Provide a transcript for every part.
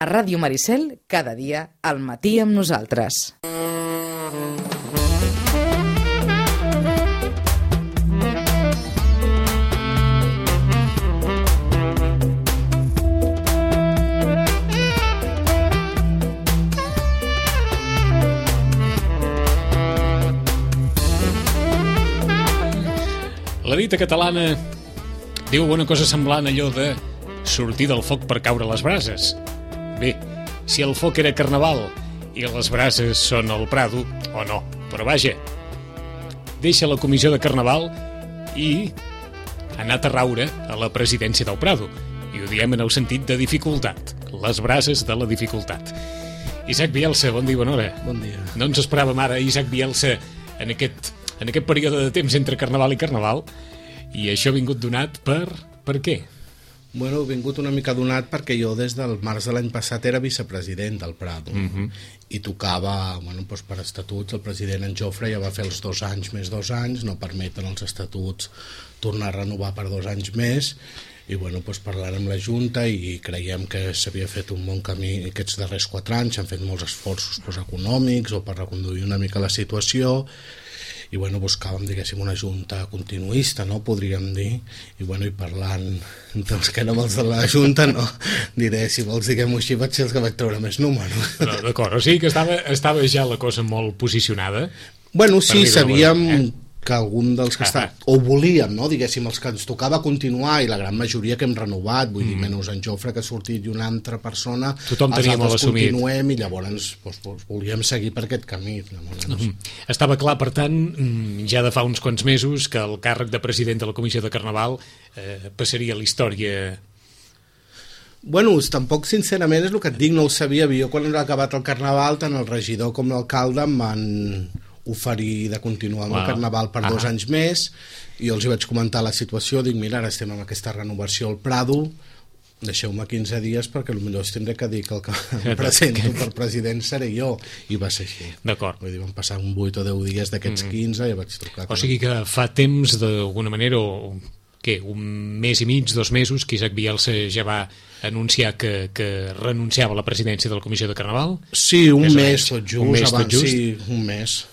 A Ràdio Maricel, cada dia, al matí amb nosaltres. La dita catalana diu una cosa semblant a allò de sortir del foc per caure a les brases. Bé, si el foc era carnaval i les brases són el Prado, o no, però vaja, deixa la comissió de carnaval i ha anat a raure a la presidència del Prado. I ho diem en el sentit de dificultat, les brases de la dificultat. Isaac Bielsa, bon dia, bona hora. Bon dia. No ens esperàvem ara Isaac Bielsa en aquest període de temps entre carnaval i carnaval, i això ha vingut donat per què? Bueno, ha vingut una mica donat perquè jo des del març de l'any passat era vicepresident del Prado i tocava, bueno, doncs per estatuts, el president en Jofre ja va fer els 2 anys més 2 anys, no permeten els estatuts tornar a renovar per 2 anys més, i bueno, doncs parlarem amb la Junta i creiem que s'havia fet un bon camí aquests darrers 4 anys, s'han fet molts esforços econòmics o per reconduir una mica la situació, i bueno, buscàvem, diguéssim, una junta continuista, no?, podríem dir, i bueno, i parlant dels que érem els de la junta, no diré, si vols diguem-ho així, vaig ser els que vaig treure més números. No, d'acord, o sigui que estava ja la cosa molt posicionada. Bueno, sí, sabíem que algun dels que o volíem, no?, diguéssim, els que ens tocava continuar, i la gran majoria que hem renovat, vull dir, menys en Jofre que ha sortit i una altra persona, tothom tenia molt assumit. Continuem, i llavors volíem seguir per aquest camí. Estava clar, per tant, ja de fa uns quants mesos, que el càrrec de president de la Comissió de Carnaval passaria a la història. Bueno, tampoc sincerament és el que et dic, no ho sabia. Jo quan ha acabat el Carnaval, tant el regidor com l'alcalde em van oferir de continuar amb el Carnaval per 2 anys més, i jo els hi vaig comentar la situació, dic, mira, ara estem amb aquesta renovació al Prado, deixeu-me 15 dies perquè potser es tindré que dir que el que em presento per president seré jo, i va ser així. D'acord. Vull dir, van passar un 8 o 10 dies d'aquests 15 i vaig trucar. O sigui que fa temps, d'alguna manera, un mes i mig, 2 mesos, que Isaac Bielsa ja va anunciar que renunciava a la presidència de la Comissió de Carnaval? Sí, un mes tot just, sí, un mes.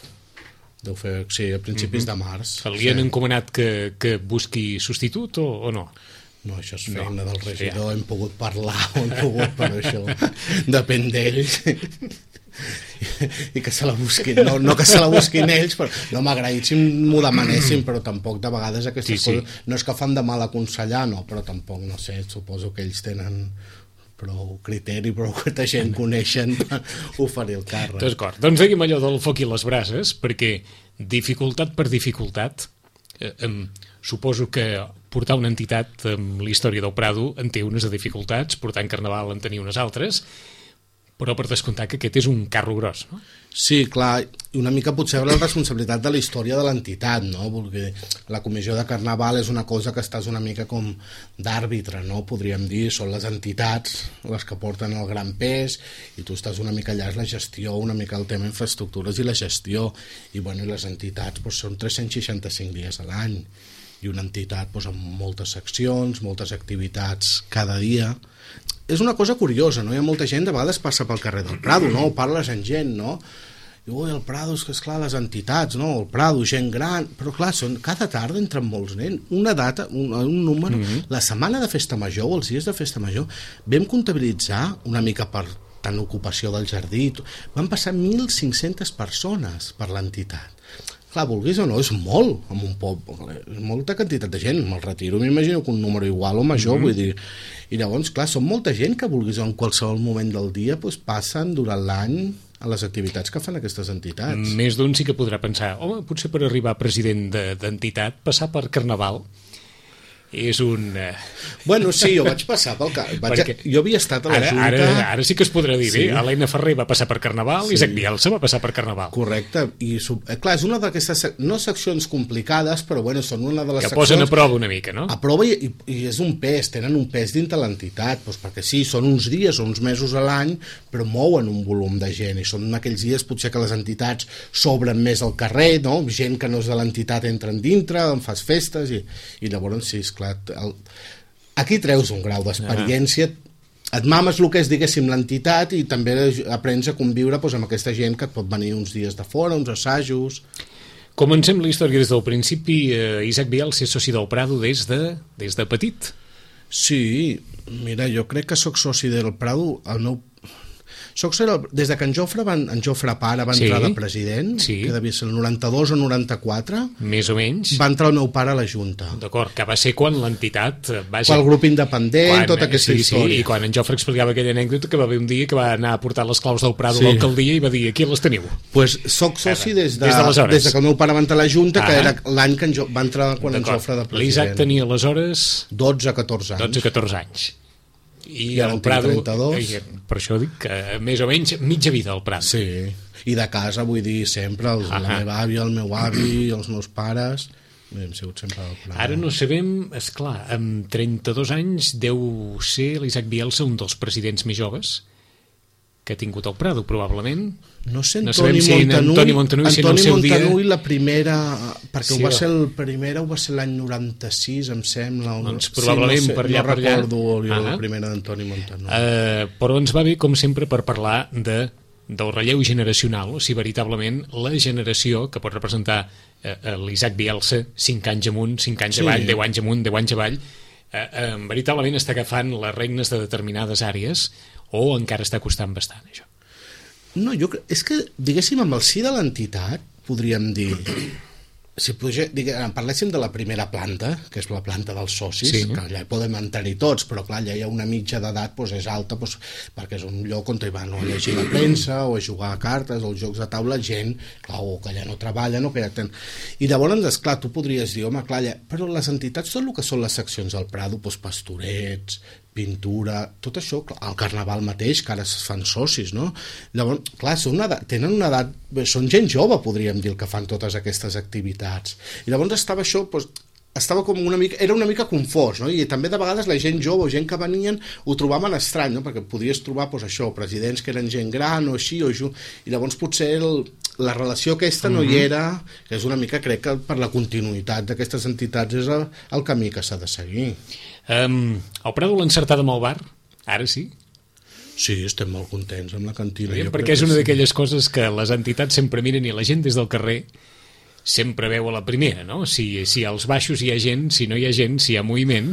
Deu fer, sí, a principis de març. Li han encomanat que busqui substitut o no? No, això és feina del regidor, hem pogut parlar, però això depèn d'ells. I que se la busquin, no que se la busquin ells, però no m'agraït si m'ho demanessin, però tampoc de vegades aquestes coses, no és que fan de mal aconsellar, no, però tampoc, no sé, suposo que ells tenen prou criteri, prou que gent coneixen per oferir el càrrec. D'acord, doncs diguem allò del foc i les brases, perquè dificultat per dificultat, suposo que portar una entitat amb la història del Prado en té unes dificultats, portar en Carnaval en tenia unes altres, però per descomptar que aquest és un carro gros, no? Sí, clar, i una mica potser la responsabilitat de la història de l'entitat, no? Perquè la comissió de Carnaval és una cosa que estàs una mica com d'àrbitre, no? Podríem dir, són les entitats les que porten el gran pes, i tu estàs una mica allà, és la gestió, una mica el tema infraestructures i la gestió, i bueno, i les entitats són 365 dies a l'any, i una entitat amb moltes seccions, moltes activitats cada dia. És una cosa curiosa, no? Hi ha molta gent, de vegades passa pel carrer del Prado, no? Parles amb gent, no? Diu, el Prado, és que esclar, les entitats, no? El Prado, gent gran, però clar, cada tarda entren molts nens, una data, un número, la setmana de festa major o els dies de festa major, vam comptabilitzar una mica per tant ocupació del jardí, van passar 1.500 persones per l'entitat. Clar, vulguis o no, és molt, amb un poble, és molta quantitat de gent, me'l retiro, m'imagino que un número igual o major, vull dir, i llavors, clar, són molta gent que vulguis o en qualsevol moment del dia passen durant l'any a les activitats que fan aquestes entitats. Més d'un sí que podrà pensar, home, potser per arribar a president d'entitat, passar per Carnaval és un... Bueno, sí, jo vaig passar pel... Jo havia estat a la Junta... Ara sí que es podrà dir, bé, Helena Ferrer va passar per Carnaval, Isaac Bielsa va passar per Carnaval. Correcte, i clar, és una d'aquestes, no seccions complicades, però bueno, són una de les seccions... Que posen a prova una mica, no? A prova i és un pes, tenen un pes dintre l'entitat, perquè sí, són uns dies o uns mesos a l'any, però mouen un volum de gent, i són aquells dies potser que les entitats s'obren més al carrer, no? Gent que no és de l'entitat entren dintre, en fas festes, i llavors sí, esclar, aquí treus un grau d'experiència et mames el que és, diguéssim, l'entitat i també aprens a conviure doncs, amb aquesta gent que et pot venir uns dies de fora, uns assajos... Comencem la història des del principi. Isaac Bielsa és soci del Prado des de petit. Sí, mira, jo crec que sóc soci del Prado, des de que en Jofre pare va entrar de president, que devia ser el 92 o 94, més o menys, va entrar el meu pare a la Junta. D'acord, que va ser quan l'entitat... Quan el grup independent, tota aquesta història. I quan en Jofre explicava aquella anècdota que va haver un dia que va anar a portar les claus del Prado a l'alcaldia i va dir, aquí les teniu. Pues soc soci des que el meu pare va entrar a la Junta, que era l'any que va entrar quan en Jofre de president. L'Isaac tenia aleshores... 12-14 anys. 12-14 anys. I el Prado, 32. Per això dic que més o menys mitja vida al Prado. Sí, i de casa vull dir sempre la meva àvia, el meu avi, els meus pares, hem sigut sempre al Prado. Ara no sabem, esclar, amb 32 anys deu ser l'Isaac Bielsa un dels presidents més joves que ha tingut el Prado, probablement. No sé, Antoni Montanull la primera, perquè ho va ser l'any 96, em sembla. Doncs probablement per allà. No recordo la primera d'Antoni Montanull. Però ens va bé, com sempre, per parlar del relleu generacional, o sigui, veritablement, la generació que pot representar l'Isaac Bielsa, 5 anys amunt, 5 anys avall, 10 anys amunt, 10 anys avall, veritablement està agafant les regnes de determinades àrees o encara està costant bastant, això? No, és que, diguéssim, amb el sí de l'entitat, podríem dir... Si parléssim de la primera planta, que és la planta dels socis, que allà hi podem entrar-hi tots, però clar, allà hi ha una mitja d'edat, és alta, perquè és un lloc on hi van a llegir la premsa, o a jugar a cartes, o als jocs de taula, gent, clar, o que allà no treballen, o que ja tenen... I llavors, esclar, tu podries dir, home, clar, però les entitats, tot el que són les seccions al Prado, pastorets, pintura, tot això, el carnaval mateix, que ara es fan socis, no? Llavors, clar, tenen una edat, són gent jove, podríem dir, el que fan totes aquestes activitats. I llavors estava això, estava com era una mica confós, no? I també de vegades la gent jove o gent que venien ho trobaven estrany, no? Perquè podies trobar, això, presidents que eren gent gran o així, i llavors potser la relació aquesta no hi era, que és una mica, crec que per la continuïtat d'aquestes entitats és el camí que s'ha de seguir. El Prado l'ha encertat amb el bar? Ara sí? Sí, estem molt contents amb la cantina. Perquè és una d'aquelles coses que les entitats sempre miren i la gent des del carrer sempre veu a la primera, no? Si als baixos hi ha gent, si no hi ha gent, si hi ha moviment,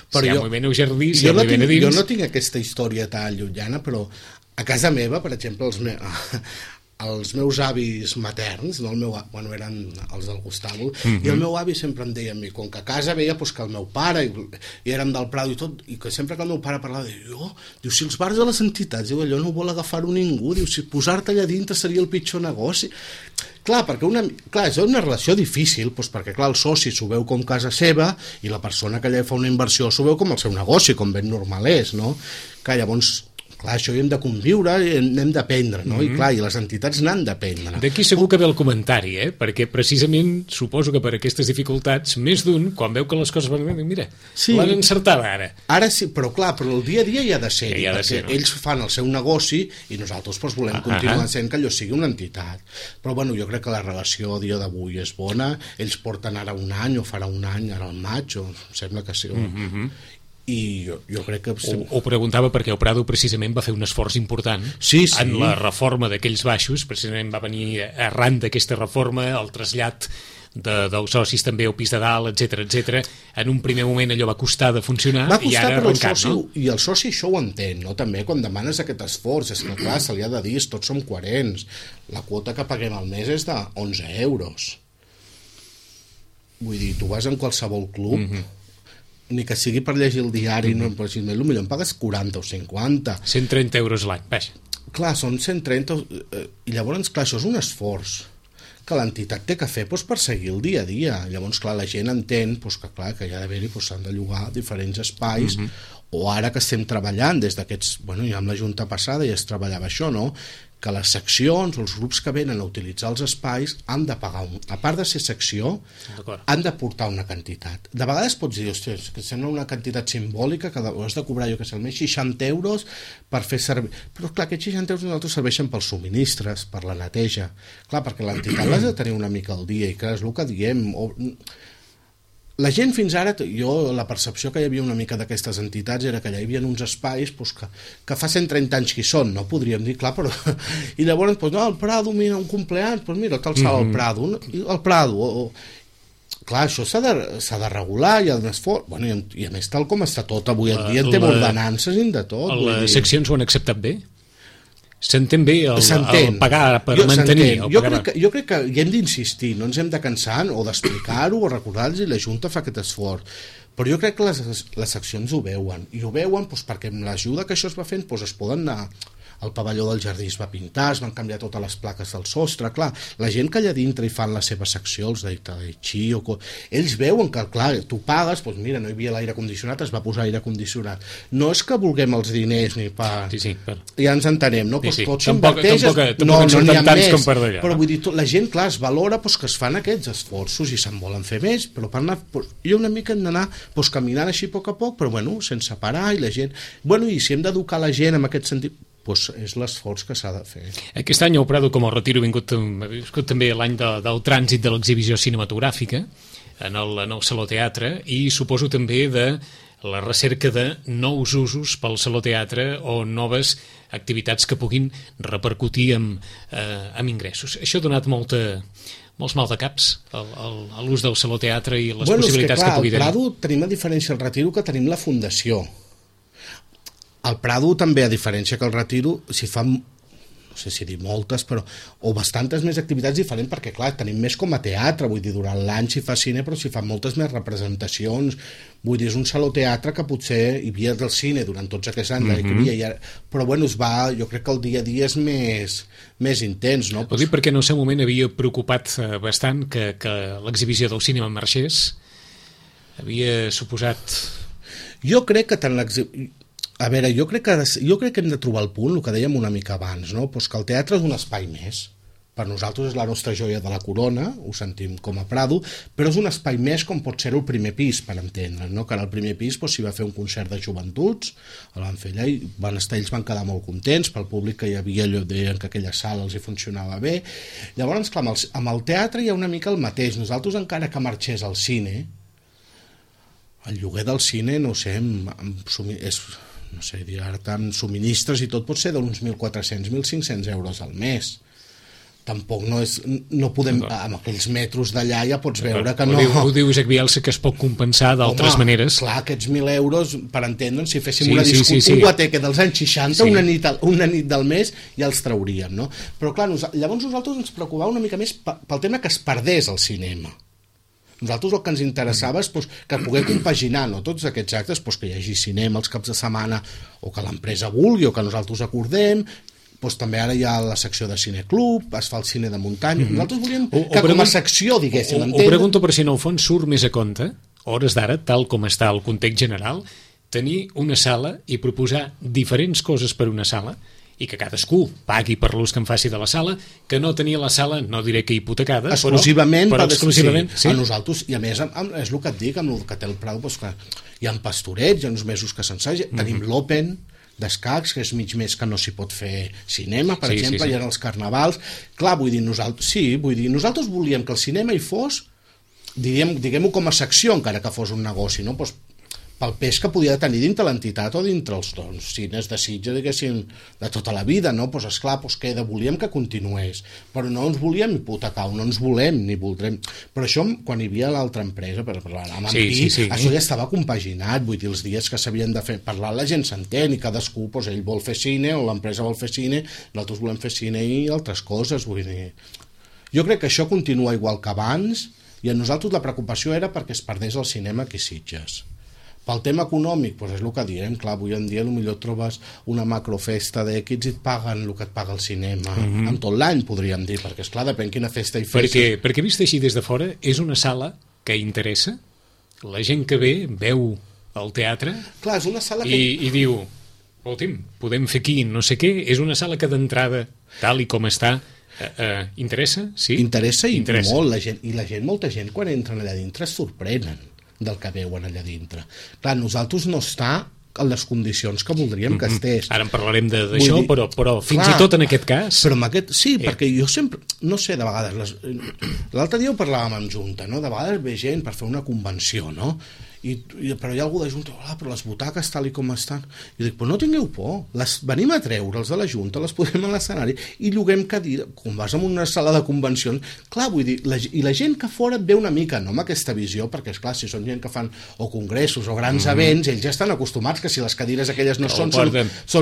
si hi ha moviment al jardí, si hi ha moviment a dins... Jo no tinc aquesta història tan llunyana, però a casa meva, per exemple, els meus avis materns, no eren els del Gustavo, i el meu avi sempre em deia a mi, com que a casa veia que el meu pare, i érem del Prado i tot, i que sempre que el meu pare parlava, diu, si els bars de les entitats, allò no vol agafar-ho ningú, diu, si posar-te allà dintre seria el pitjor negoci. Clar, perquè és una relació difícil, perquè clar, el soci s'ho veu com casa seva i la persona que allà fa una inversió s'ho veu com el seu negoci, com ben normal és, no? Clar, llavors... Clar, això hi hem de conviure i n'hem d'aprendre, no? I clar, i les entitats n'han d'aprendre. D'aquí segur que ve el comentari, perquè precisament suposo que per aquestes dificultats, més d'un, quan veu que les coses van bé, mira, l'han encertada ara. Ara sí, però clar, però el dia a dia hi ha de ser, perquè ells fan el seu negoci i nosaltres volem continuar sent que allò sigui una entitat. Però bueno, jo crec que la relació a dia d'avui és bona, ells porten ara un any o farà un any, ara al maig, o sembla que sí. I jo crec que... Ho preguntava perquè el Prado precisament va fer un esforç important en la reforma d'aquells baixos, precisament va venir arran d'aquesta reforma, el trasllat dels socis també al pis de dalt, etc. En un primer moment allò va costar de funcionar i ara ha arrencat, no? I el soci això ho entén, no? També quan demanes aquest esforç, és que clar, se li ha de dir, tots som coherents, la quota que paguem al mes és de 11 euros. Vull dir, tu vas en qualsevol club, ni que sigui per llegir el diari, no, però si potser em pagues 40 o 50. 130 euros l'any, vaja. Clar, són 130, i llavors, clar, això és un esforç que l'entitat té que fer per seguir el dia a dia. Llavors, clar, la gent entén que, clar, que hi ha d'haver-hi, s'han de llogar diferents espais, o ara que estem treballant des d'aquests... ja amb la Junta passada ja es treballava això, no? Que les seccions o els grups que venen a utilitzar els espais han de pagar, a part de ser secció, han de portar una quantitat. De vegades pots dir, ostres, que sembla una quantitat simbòlica, que has de cobrar, jo que sé, almenys 60 euros per fer servir... Però clar, aquests 60 euros nosaltres serveixen pels subministres, per la neteja. Clar, perquè l'entitat l'has de tenir una mica al dia, i clar, és el que diem... la gent fins ara, la percepció que hi havia una mica d'aquestes entitats era que hi havia uns espais doncs, que fa 130 anys que hi són, no podríem dir, clar, però... I llavors, doncs, no, el Prado, mira, un compleany, doncs mira, cal sala al Prado, el Prado, clar, això s'ha de regular, hi ha un esforç, bueno, i a més tal com està tot avui en dia, en té ordenances i de tot. Les seccions ho han acceptat bé? S'entén bé el pagar per mantenir? Jo crec que hi hem d'insistir, no ens hem de cansar o d'explicar-ho o recordar-los, i la Junta fa aquest esforç. Però jo crec que les seccions ho veuen, i ho veuen doncs, perquè amb l'ajuda que això es va fent doncs, es poden anar... El pavelló del jardí es va pintar, es van canviar totes les plaques del sostre, clar, la gent que allà dintre hi fan la seva secció, els de Tai Chi, ells veuen que, clar, tu pagues, doncs mira, no hi havia l'aire condicionat, es va posar aire condicionat. No és que vulguem els diners ni per... Sí, ja ens entenem, no? Sí. Tot s'inverteix... No en surten tants com per d'allà. Però vull dir, la gent, clar, es valora que es fan aquests esforços i se'n volen fer més, però per anar... Jo una mica hem d'anar caminant així a poc, però bueno, sense parar, i la gent... Bueno, i si hem d'educar la gent en aquest sentit... doncs és l'esforç que s'ha de fer. Aquest any el Prado com a retiro ha viscut també l'any del trànsit de l'exhibició cinematogràfica en el Saló Teatre, i suposo també de la recerca de nous usos pel Saló Teatre o noves activitats que puguin repercutir amb ingressos. Això ha donat molts maldecaps a l'ús del Saló Teatre i les possibilitats que pugui tenir. Al Prado tenim, a diferència del Retiro, que tenim la Fundació. Al Prado també, a diferència que el Retiro, s'hi fan, no sé si dir moltes, però, o bastantes més activitats diferents, perquè clar, tenim més com a teatre, vull dir, durant l'any s'hi fa cine, però s'hi fan moltes més representacions, vull dir, és un saló teatre que potser hi havia del cine durant tots aquests anys, però bueno, jo crec que el dia a dia és més intens, no? Ho dic perquè en el seu moment havia preocupat bastant que l'exhibició del cinema marxés, havia suposat... Jo crec que tant l'exhibició... A veure, jo crec que hem de trobar el punt, el que dèiem una mica abans, no? Pues que el teatre és un espai més. Per nosaltres és la nostra joia de la corona, ho sentim com a Prado, però és un espai més com pot ser el primer pis, per entendre, no? Que ara al primer pis s'hi va fer un concert de joventuts, el van fer allà i ells van quedar molt contents, pel públic que hi havia, allò deien que aquella sala els hi funcionava bé. Llavors, clar, amb el teatre hi ha una mica el mateix. Nosaltres, encara que marxés al cine, el lloguer del cine, no sé, no sé, dir ara tant subministres i tot pot ser d'uns 1.400, 1.500 euros al mes. Tampoc no podem, amb aquells metres d'allà ja pots veure que no... Ho diu Jacques Bielsa, que es pot compensar d'altres maneres. Clar, aquests 1.000 euros, per entendre'ns, si féssim un guateque dels anys 60, una nit del mes, ja els trauríem, no? Però clar, llavors nosaltres ens preocupava una mica més pel tema que es perdés el cinema. Nosaltres el que ens interessava és que poder compaginar, no, tots aquests actes, que hi hagi cinema els caps de setmana, o que l'empresa vulgui, o que nosaltres acordem, també ara hi ha la secció de cineclub, es fa el cine de muntanya. Nosaltres volíem que com a secció, diguéssim, ho pregunto per si en el fons surt més a compte, hores d'ara, tal com està el context general, tenir una sala i proposar diferents coses per una sala, i que cadascú pagui per l'ús que en faci de la sala, que no tenia la sala, no diré que hipotecada, exclusivament, però exclusivament, sí. A nosaltres, i a més, és el que et dic, amb el que té el Prado, que hi ha pastorets, hi ha uns mesos que s'ensaja, tenim l'Open d'escacs, que és mig mes que no s'hi pot fer cinema, per exemple, hi ha els carnavals. Clar, vull dir, nosaltres volíem que el cinema hi fos, diguem-ho com a secció, encara que fos un negoci, no? Pel pes que podia tenir dintre l'entitat o dintre els cines de Sitges, diguéssim, de tota la vida, no? Doncs esclar, volíem que continués, però no ens volíem hipotecar, no ens volem ni voldrem. Però això, quan hi havia l'altra empresa, per parlar amb això ja estava compaginat, vull dir, els dies que s'havien de fer, parlar la gent s'entén, i cadascú, ell vol fer cine, o l'empresa vol fer cine, nosaltres volem fer cine i altres coses, vull dir... Jo crec que això continua igual que abans, i a nosaltres la preocupació era perquè es perdés el cinema aquí a Sitges. Pel tema econòmic, és el que diem, clar, avui en dia potser trobes una macrofesta d'èxits i et paguen el que et paga el cinema en tot l'any, podríem dir, perquè esclar, depèn quina festa hi fes. Perquè vist així des de fora, és una sala que interessa, la gent que ve veu el teatre, clar, és una sala que... i diu, podem fer aquí no sé què, és una sala que d'entrada, tal i com està, interessa, sí? Interessa molt, molta gent quan entren allà dintre es sorprenen del que veuen allà dintre. Clar, nosaltres no està en les condicions que voldríem que estés. Ara en parlarem d'això, però fins i tot en aquest cas... Però en aquest, sí, perquè jo sempre, no sé, de vegades, l'altre dia ho parlàvem amb Junta, no? De vegades ve gent per fer una convenció, no? Però hi ha algú de Junta, però les butaques tal i com estan, i dic, però no tingueu por, venim a treure'ls de la Junta, les posem a l'escenari i lloguem cadira, com vas en una sala de convencions, clar, vull dir, i la gent que fora ve una mica, no amb aquesta visió, perquè esclar, si són gent que fan o congressos o grans events, ells ja estan acostumats que si les cadires aquelles no són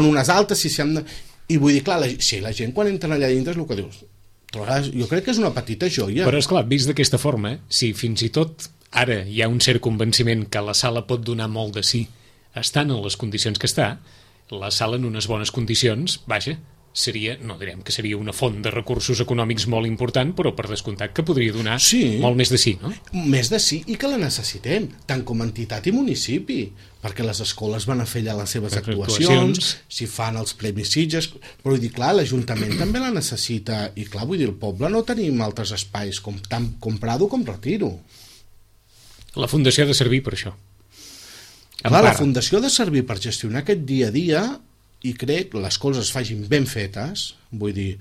unes altes, si s'han de... I vull dir, clar, la gent quan entren allà dintre és el que dius, jo crec que és una petita joia. Però esclar, vist d'aquesta forma, si fins i tot ara hi ha un cert convenciment que la sala pot donar molt de sí estant en les condicions que està, la sala en unes bones condicions, vaja, seria, no direm que seria una font de recursos econòmics molt important, però per descomptat que podria donar molt més de sí, no? Més de sí, i que la necessitem, tant com a entitat i municipi, perquè les escoles van a fer allà les seves actuacions, si fan els Premis Sitges, però vull dir, clar, l'Ajuntament també la necessita, i clar, vull dir, el poble no tenim altres espais, tant com Prado com Retiro. La Fundació ha de servir per això. Clar, la Fundació ha de servir per gestionar aquest dia a dia i crec que les coses es facin ben fetes, vull dir,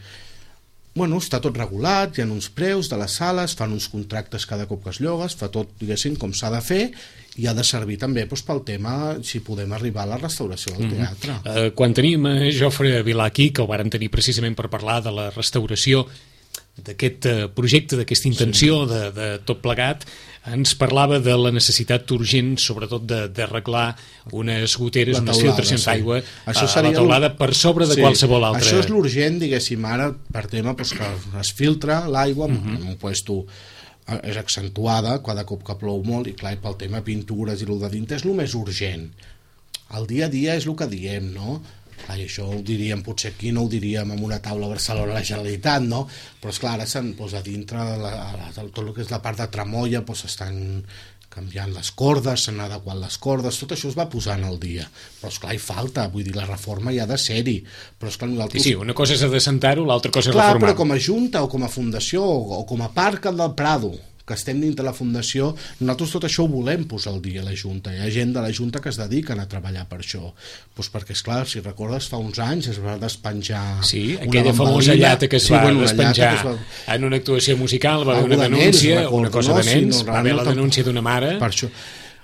bueno, està tot regulat, hi ha uns preus de les sales, fan uns contractes cada cop que es lloga, es fa tot, diguéssim, com s'ha de fer, i ha de servir també doncs, pel tema si podem arribar a la restauració del teatre. Quan tenim a Jofre Vilà aquí, que ho vàrem tenir precisament per parlar de la restauració d'aquest projecte, d'aquesta intenció de tot plegat, ens parlava de la necessitat urgent, sobretot d'arreglar unes goteres, unes filtracions d'aigua a la teulada per sobre de qualsevol altra... Això és l'urgent, diguéssim, ara per tema que es filtra l'aigua en un puesto és accentuada cada cop que plou molt i clar, pel tema pintures i el de dintre és el més urgent. El dia a dia és el que diem, no? I això ho diríem, potser aquí no ho diríem en una taula a Barcelona a la Generalitat, no? Però esclar, ara a dintre tot el que és la part de tramoia s'estan canviant les cordes, s'han adequat les cordes, tot això es va posant al dia, però esclar, hi falta, vull dir, la reforma hi ha de ser-hi, però esclar, nosaltres... Sí, una cosa és adessentar-ho, l'altra cosa és reformar-ho. Clar, però com a Junta o com a Fundació o com a Parc del Prado, que estem dintre la Fundació, nosaltres tot això ho volem posar al dia a la Junta. Hi ha gent de la Junta que es dediquen a treballar per això. Doncs perquè, esclar, si recordes, fa uns anys es va despenjar... Sí, aquella famosa llata que es va despenjar en una actuació musical, va haver una denúncia, una cosa de nens, va haver la denúncia d'una mare... Per això.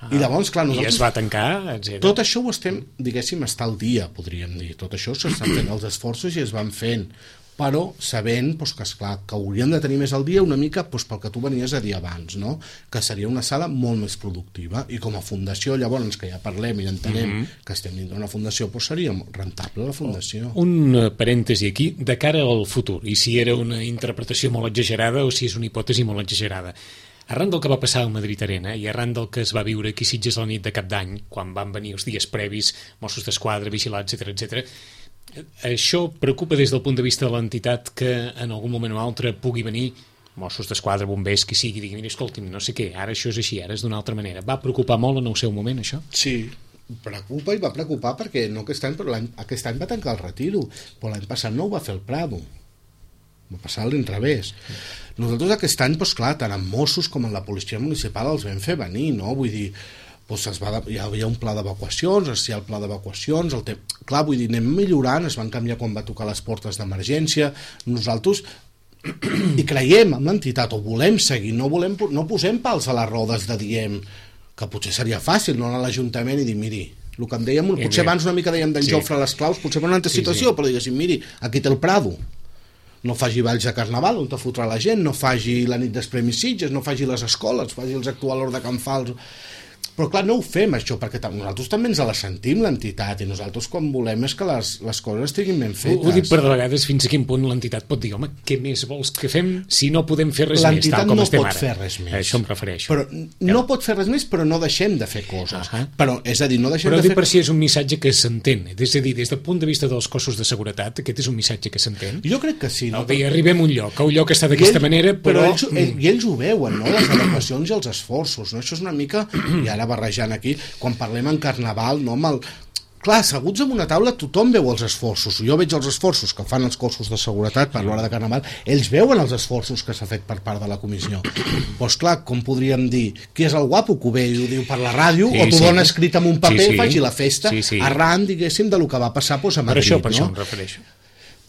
I llavors, clar, nosaltres... I es va tancar, etc. Tot això ho estem, diguéssim, està al dia, podríem dir. Tot això s'estan fent els esforços i es van fent, però sabent que, esclar, que hauríem de tenir més al dia una mica pel que tu venies a dir abans, no? Que seria una sala molt més productiva i com a fundació, llavors que ja parlem i entenem que estem dintre d'una fundació, seria rentable la fundació. Un parèntesi aquí, de cara al futur, i si era una interpretació molt exagerada o si és una hipòtesi molt exagerada. Arran del que va passar al Madrid Arena i arran del que es va viure aquí a Sitges la nit de Cap d'Any, quan van venir els dies previs, Mossos d'Esquadra, vigilats, etc. Això preocupa des del punt de vista de l'entitat que en algun moment o altre pugui venir Mossos d'Esquadra, bombers, qui sigui, digui, mira, escolti'm, no sé què, ara això és així, ara és d'una altra manera. Va preocupar molt en el seu moment, això? Sí, preocupa i va preocupar perquè no aquest any, però aquest any va tancar el Retiro, però l'any passat no ho va fer el Prado. Va passar a l'inrevés. Nosaltres aquest any, doncs clar, tant amb Mossos com en la policia municipal els vam fer venir, no? Vull dir, hi havia un pla d'evacuacions, el pla d'evacuacions, clar, vull dir, anem millorant, es van canviar quan va tocar les portes d'emergència, nosaltres i creiem en l'entitat, o volem seguir, no posem pals a les rodes de diem que potser seria fàcil no anar a l'Ajuntament i dir, miri, el que em dèiem, potser abans una mica dèiem d'en Jofre a les claus, potser per una altra situació, però diguéssim, miri, aquí té el Prado, no faci balls de carnaval on te fotrà la gent, no faci la nit dels Premis Sitges, no faci les escoles, faci els actuadors de Can Fals. Però clar, no ho fem això, perquè nosaltres també ens la sentim l'entitat i nosaltres quan volem és que les coses estiguin ben fetes. Ho dic per de vegades fins a quin punt l'entitat pot dir, home, què més vols que fem si no podem fer res més, tal com estem ara? L'entitat no pot fer res més. A això em refereixo. Però no pot fer res més, però no deixem de fer coses. Però, és a dir, no deixem però de fer... Però per si és un missatge que s'entén, és a dir, des del punt de vista dels cossos de seguretat, aquest és un missatge que s'entén? Jo crec que sí. No, arribem a un lloc està d'aquesta manera, però... I ells ho veuen, no? Les adequacions i els esforços, no? Això és una mica, i ara barrejant aquí, quan parlem en Carnaval, no? clar, asseguts en una taula tothom veu els esforços. Jo veig els esforços que fan els cossos de seguretat per l'hora de Carnaval, ells veuen els esforços que s'ha fet per part de la comissió. Doncs clar, com podríem dir, qui és el guapo que ho ve i ho diu per la ràdio, o t'ho dona escrit en un paper, faci la festa, arran, diguéssim, de lo que va passar a Madrid. Per això em refereixo.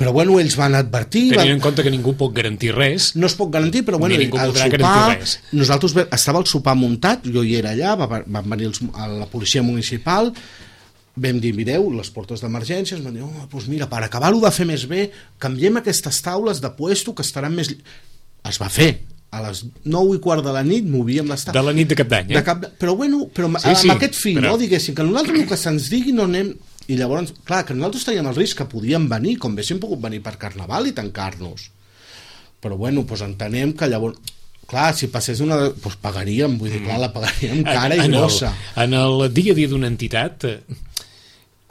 Però bueno, ells van advertir... Tenint en compte que ningú pot garantir res. No es pot garantir, però bueno, al sopar... Nosaltres estava el sopar muntat, jo hi era allà, van venir la policia municipal, vam dir, mireu, les portes d'emergència, ens van dir, doncs mira, per acabar-ho de fer més bé, canviem aquestes taules de puesto que estaran més... Es va fer. A les 9:15 de la nit movíem les taules. De la nit de Cap d'Any, Però bueno, amb aquest fi, no? Diguéssim, que nosaltres el que se'ns digui no anem... I llavors, clar, que nosaltres teníem el risc que podíem venir, com haguéssim pogut venir per Carnaval i tancar-nos. Però bueno, doncs entenem que llavors... Clar, si passés una... Doncs pagaríem, vull dir, clar, la pagaríem cara i grossa. En el dia a dia d'una entitat,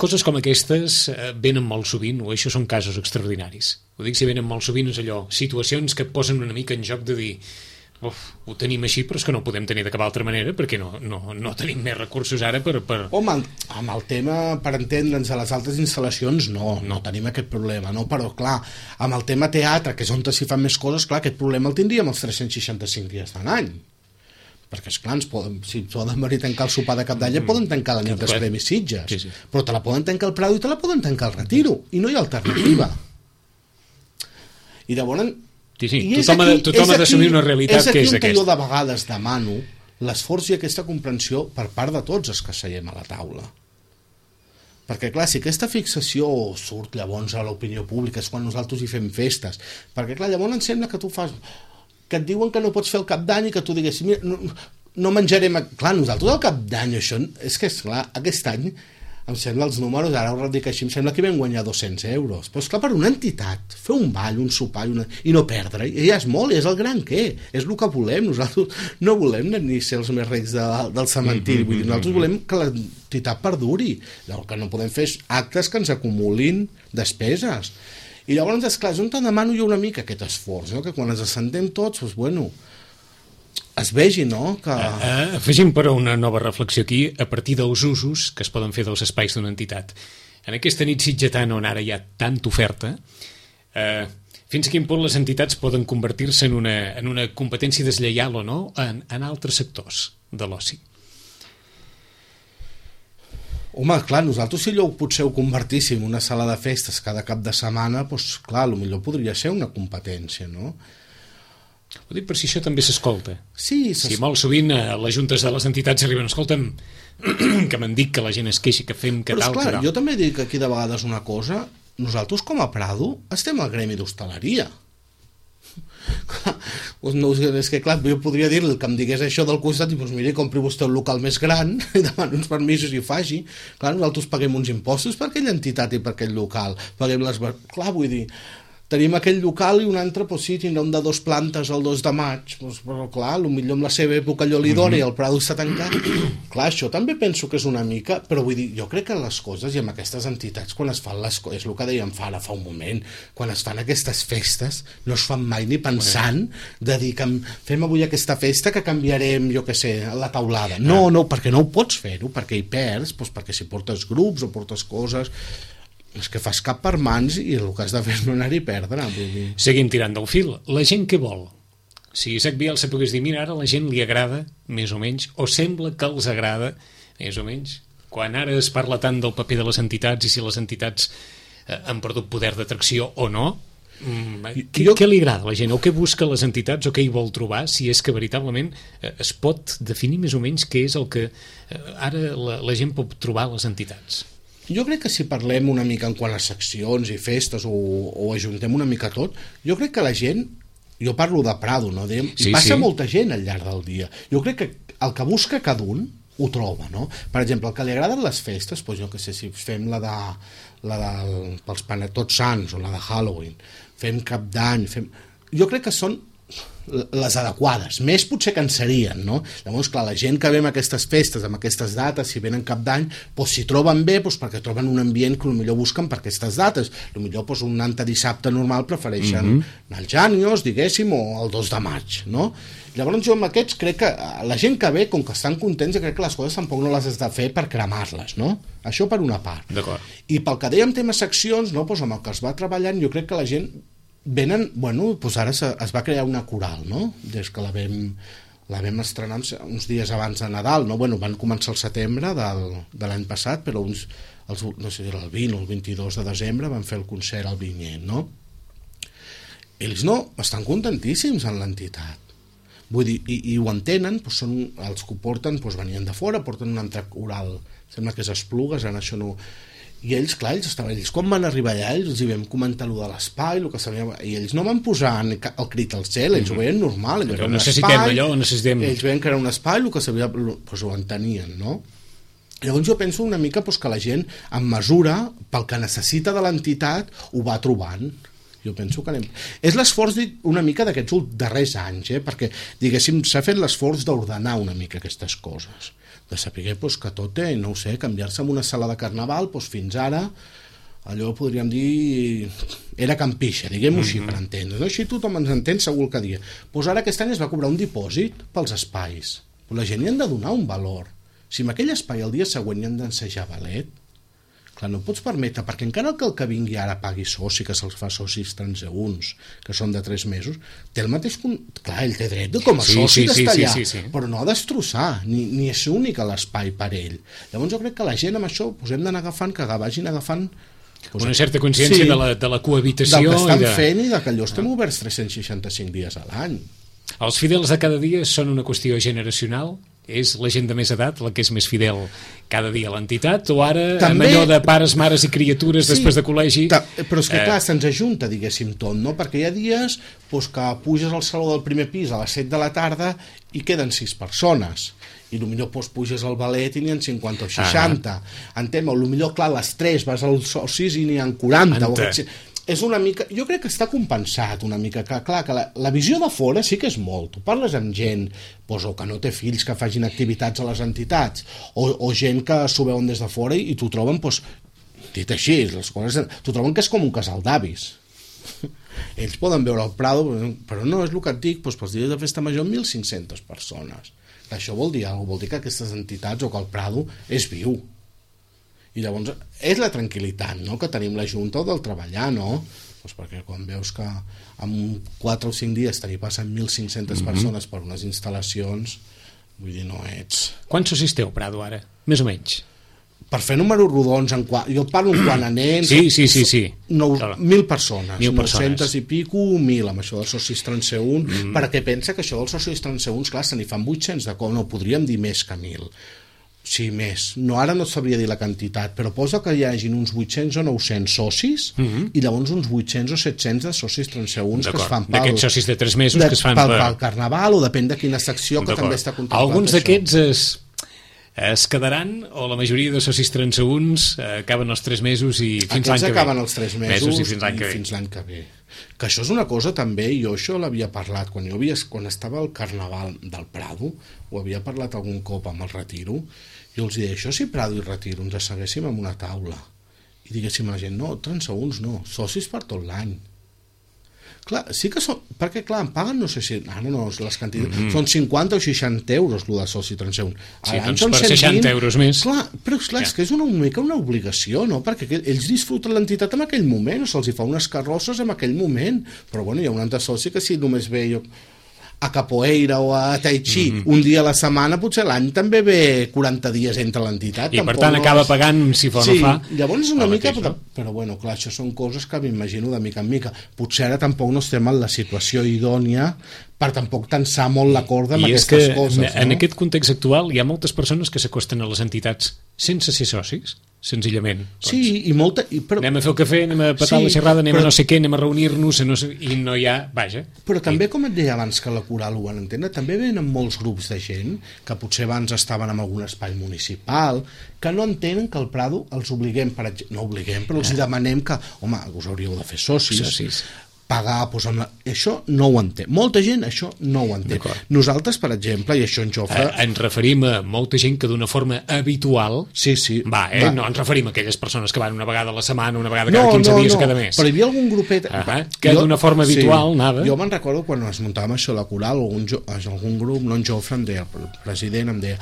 coses com aquestes venen molt sovint, o això són casos extraordinaris. Ho dic si venen molt sovint, és allò, situacions que et posen una mica en joc de dir... ho tenim així, però és que no ho podem tenir de cap altra manera perquè no tenim més recursos ara per... Home, amb el tema, per entendre'ns, a les altres instal·lacions no tenim aquest problema, no? Però clar, amb el tema teatre, que és on s'hi fan més coses, clar, aquest problema el tindríem els 365 dies de l'any, perquè esclar, si poden venir a tancar el sopar de Cap d'Any, poden tancar la nit dels Premis Sitges, però te la poden tancar al Prado i te la poden tancar al Retiro, i no hi ha alternativa. I llavors... Sí, tothom ha d'assumir una realitat que és aquesta. És aquí on jo de vegades demano l'esforç i aquesta comprensió per part de tots els que seiem a la taula. Perquè clar, si aquesta fixació surt llavors a l'opinió pública és quan nosaltres hi fem festes, perquè clar, llavors em sembla que tu fas... que et diuen que no pots fer el Cap d'Any i que tu diguessis, mira, no menjarem... Clar, nosaltres el Cap d'Any, això, és que esclar, aquest any em sembla els números, ara ho dic així, em sembla que vam guanyar 200 euros. Però esclar, per una entitat, fer un ball, un sopar i no perdre, ja és molt, és el gran què, és el que volem. Nosaltres no volem ni ser els més rics del cementiri, vull dir, nosaltres volem que l'entitat perduri. El que no podem fer és actes que ens acumulin despeses. I llavors, esclar, és on te demano jo una mica aquest esforç, no? Que quan ens assentem tots, doncs bueno, es vegi, no? Que... Afegim però una nova reflexió aquí a partir dels usos que es poden fer dels espais d'una entitat. En aquesta nit sitgetana on ara hi ha tanta oferta, fins a quin punt les entitats poden convertir-se en una competència deslleial o no en altres sectors de l'oci? Home, clar, nosaltres si potser ho convertíssim en una sala de festes cada cap de setmana, doncs clar, potser podria ser una competència, no? Ho dic per si això també s'escolta. Sí, si molt sovint a les juntes de les entitats arriben, escolta'm, que m'han dit que la gent es queixi, que fem, que tal, que tal. Jo també dic aquí de vegades una cosa, nosaltres com a Prado estem al gremi d'hostaleria. No, és que clar, jo podria dir-li que em digués això del costat i doncs miri, compri vostè un local més gran i demani uns permisos i ho faci. Clar, nosaltres paguem uns impostos per aquella entitat i per aquell local, paguem les... Clar, vull dir, tenim aquell local i un altre, doncs sí, tindrà un de 2 plantes el 2 de maig, doncs, però clar, potser en la seva època allò li dona i el Prado està tancat. Clar, això també penso que és una mica, però vull dir, jo crec que les coses i amb aquestes entitats, quan es fan les coses, és el que dèiem fa un moment, quan es fan aquestes festes, no es fan mai ni pensant de dir que fem avui aquesta festa que canviarem, jo què sé, la taulada. No, perquè no ho pots fer-ho, perquè hi perds, doncs perquè si portes grups o portes coses... és que fas cap per mans i el que has de fer és no anar-hi a perdre. Seguim tirant del fil. La gent què vol? Si Isaac Vial se pogués dir, mira, ara a la gent li agrada, més o menys, o sembla que els agrada, més o menys, quan ara es parla tant del paper de les entitats i si les entitats han perdut poder d'atracció o no, què li agrada a la gent? O què busca les entitats o què hi vol trobar, si és que veritablement es pot definir més o menys què és el que ara la gent pot trobar a les entitats? Jo crec que si parlem una mica en quant a seccions i festes o ajuntem una mica tot, jo crec que la gent, jo parlo de Prado, no? Passa molta gent al llarg del dia. Jo crec que el que busca cada un ho troba, no? Per exemple, el que li agraden les festes, doncs jo que sé, si fem pels Tots Sants o la de Halloween, fem Cap d'Any, jo crec que són les adequades, més potser que en serien, no? Llavors, clar, la gent que ve amb aquestes festes, amb aquestes dates, si venen cap d'any, doncs s'hi troben bé, doncs perquè troben un ambient que potser busquen per aquestes dates. Potser doncs, un antidissabte normal prefereixen anar al Jànios, diguéssim, o el 2 de maig, no? Llavors jo amb aquests crec que la gent que ve, com que estan contents, crec que les coses tampoc no les has de fer per cremar-les, no? Això per una part. I pel que dèiem temes seccions, no? Doncs amb el que es va treballant, jo crec que la gent venen, bueno, doncs ara es va crear una coral, no? Des que la vam estrenar uns dies abans de Nadal, no? Bueno, van començar el setembre de l'any passat, però no sé, el 20 o el 22 de desembre van fer el concert al Vinyet, no? Ells no, estan contentíssims en l'entitat. Vull dir, i ho entenen, doncs són els que ho porten, doncs venien de fora, porten un altre coral, sembla que és Esplugues, ara això no... I ells, clar, ells quan van arribar allà, els hi vam comentar allò de l'espai, i ells no van posar el crit al cel, ells ho veien normal. Necessitem allò, necessitem... Ells veien que era un espai, el que sabia, doncs ho entenien, no? Llavors jo penso una mica que la gent, en mesura, pel que necessita de l'entitat, ho va trobant. Jo penso que és l'esforç una mica d'aquests darrers anys, perquè, diguéssim, s'ha fet l'esforç d'ordenar una mica aquestes coses, de saber que tot té, no ho sé, canviar-se en una sala de carnaval, fins ara, allò podríem dir, era campixa, diguem-ho així per entendre, no? Així tothom ens entén segur el que dia. Ara aquest any es va cobrar un dipòsit pels espais, la gent hi han de donar un valor. Si en aquell espai el dia següent hi han d'ensejar ballet, clar, no pots permetre, perquè encara que el que vingui ara pagui soci, que se'ls fa socis transeünts, que són de 3 mesos, té el mateix... Clar, ell té dret com a soci d'estar allà, però no a destrossar, ni és únic l'espai per ell. Llavors jo crec que la gent amb això hem d'anar agafant, que vagin agafant... Una certa consciència de la cohabitació... Del que estan fent i que allò estem oberts 365 dies a l'any. Els fidels de cada dia són una qüestió generacional? És la gent de més edat la que és més fidel cada dia a l'entitat, o ara també, amb allò de pares, mares i criatures després de col·legi... Però és que clar, se'ns ajunta, diguéssim, tot, no? Perquè hi ha dies que puges al saló del primer pis a les 7 de la tarda i queden 6 persones, i potser puges al ballet i n'hi ha 50 o 60. Entenc, potser clar, a les 3 vas als socis i n'hi ha 40. És una mica, jo crec que està compensat una mica, que clar, que la visió de fora sí que és molt, tu parles amb gent o que no té fills que facin activitats a les entitats, o gent que s'ho veuen des de fora i t'ho troben, dit així, t'ho troben que és com un casal d'avis. Ells poden veure el Prado, però no, és el que et dic, pels dies de festa major 1.500 persones. Això vol dir alguna cosa, vol dir que aquestes entitats o que el Prado és viu. I llavors és la tranquil·litat, no?, que tenim la Junta del treballar, no? Perquè quan veus que en 4 o 5 dies t'hi passen 1.500 persones per unes instal·lacions, vull dir, no ets... Quants socis teu, Prado, ara? Més o menys? Per fer números rodons, jo parlo quant a nens... Sí. 1.000 persones, 900 i pico, 1.000, amb això dels socis transeünts, perquè pensa que això dels socis transeünts, clar, se n'hi fan 800 de cop, no, podríem dir més que 1.000. Sí, més. No, ara no sabria dir la quantitat, però posa que hi hagin uns 800 o 900 socis i llavors uns 800 o 700 de socis transeünts que es fan d'aquests socis de 3 mesos que es fan pel Carnaval, o depèn de quina secció que també està contemplat. Alguns d'aquests es quedaran, o la majoria de socis transeünts acaben els 3 mesos i fins l'any que ve. Acaben els 3 mesos i fins l'any que ve. Que això és una cosa també, jo això l'havia parlat quan estava al Carnaval del Prado, ho havia parlat algun cop amb el Retiro, jo els deia, això si Prado i Retiro ens asseguéssim en una taula i diguéssim a la gent, no, transeünts no, socis per tot l'any. Clar, sí que són, perquè clar, em paguen, no sé si ara no, les quantitats, són 50 o 60 euros el de soci transeünt. Sí, doncs per 60 euros més. Clar, però clar, és que és una mica una obligació, no? Perquè ells disfruten l'entitat en aquell moment, o se'ls fa unes carrosses en aquell moment, però bueno, hi ha un altre soci que si només ve a capoeira o a tai chi un dia a la setmana, potser l'any també ve 40 dies entre l'entitat. I per tant acaba pagant si fa o no fa. Llavors és una mica, però bueno, clar, això són coses que m'imagino de mica en mica. Potser ara tampoc no estem en la situació idònia per tampoc tensar molt la corda amb aquestes coses. I és que en aquest context actual hi ha moltes persones que s'acosten a les entitats sense ser socis, senzillament. Sí, i molta... Anem a fer el cafè, anem a petar la xerrada, anem a no sé què, anem a reunir-nos, i no hi ha... Vaja. Però també, com et deia abans que la coral ho van entendre, també venen molts grups de gent que potser abans estaven en algun espai municipal, que no entenen que el Prado els obliguem, no obliguem, però els demanem que, home, us hauríeu de fer socis. pagar, doncs això no ho entén. Molta gent això no ho entén. Nosaltres, per exemple, i això en Jofre... Ens referim a molta gent que d'una forma habitual... Sí. Va. No ens referim a aquelles persones que van una vegada a la setmana, una vegada cada 15 dies o cada mes. Però hi havia algun grupet... que d'una forma habitual anava... Jo me'n recordo quan es muntàvem això a la coral, algun grup, no en Jofre, em deia, el president em deia: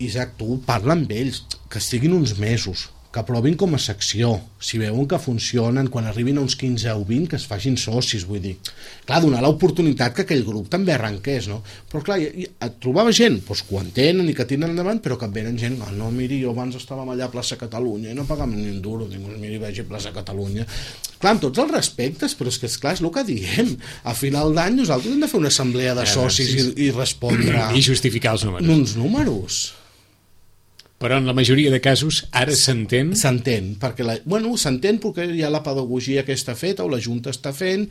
Isaac, tu parla amb ells, que estiguin uns mesos, que provin com a secció, si veuen que funcionen, quan arribin a uns 15 o 20 que es facin socis, vull dir, clar, donar l'oportunitat que aquell grup també arrenqués, no? Però clar, et trobava gent doncs, que ho entenen i que tiren endavant, però que et venen gent, no, miri, jo abans estàvem allà a plaça Catalunya i no pagàvem ni un duro, dic, miri, vagi a plaça Catalunya. Clar, amb tots els respectes, però és que és el que diem, a final d'any nosaltres hem de fer una assemblea de socis i respondre i justificar els números. Uns números. Però en la majoria de casos ara s'entén? S'entén, perquè s'entén perquè hi ha la pedagogia que està feta o la Junta està fent